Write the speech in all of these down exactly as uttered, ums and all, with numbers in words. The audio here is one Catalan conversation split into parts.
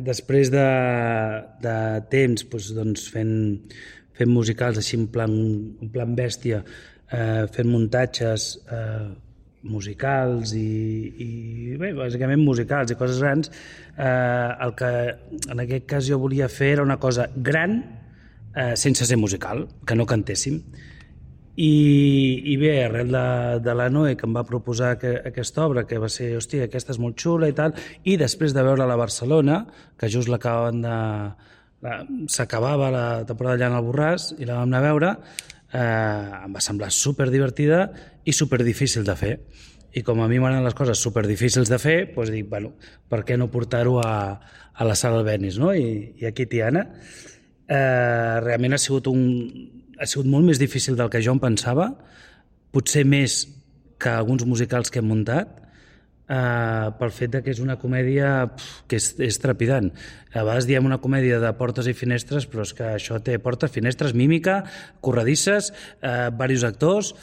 després de, de temps doncs, doncs fent, fent musicals així en plan, en plan bèstia, eh, fent muntatges eh, musicals i, i bé, bàsicament musicals i coses grans, eh, el que en aquest cas jo volia fer era una cosa gran eh, sense ser musical, que no cantéssim. I, i bé, arrel de, de la Noe, que em va proposar que, aquesta obra, que va ser, hòstia, aquesta és molt xula i tal, i després de veure-la a Barcelona, que just l'acabaven de... s'acabava la temporada allà en el Borràs, i la vam anar a veure, eh, em va semblar superdivertida i superdifícil de fer. I com a mi m'agraden les coses superdifícils de fer, doncs dic, bueno, per què no portar-ho a, a la sala Albéniz, no? I, i aquí, Tiana, eh, realment ha sigut un... ha sigut molt més difícil del que jo em pensava, potser més que alguns musicals que hem muntat, eh, pel fet de que és una comèdia pf, que és, és trepidant. A vegades diem una comèdia de portes i finestres, però és que això té portes, finestres, mímica, corredisses, eh, diversos actors,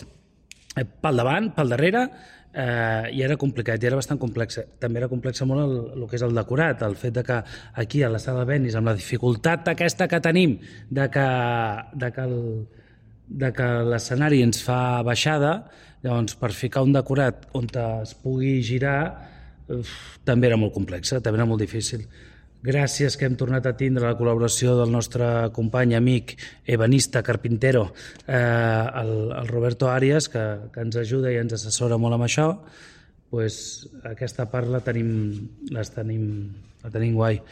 eh, pel davant, pel darrere, eh, i era complicat, i era bastant complexa. També era complexa molt el, el que és el decorat, el fet de que aquí a la sala Albéniz, amb la dificultat aquesta que tenim de que, de que, el, de que l'escenari ens fa baixada, llavors per ficar un decorat on es pugui girar uf, també era molt complexa, també era molt difícil. Gràcies que hem tornat a tindre la col·laboració del nostre company, amic, ebanista, carpintero, eh, el, el Roberto Arias, que, que ens ajuda i ens assessora molt amb això. Pues, aquesta part la tenim, les tenim, la tenim guai.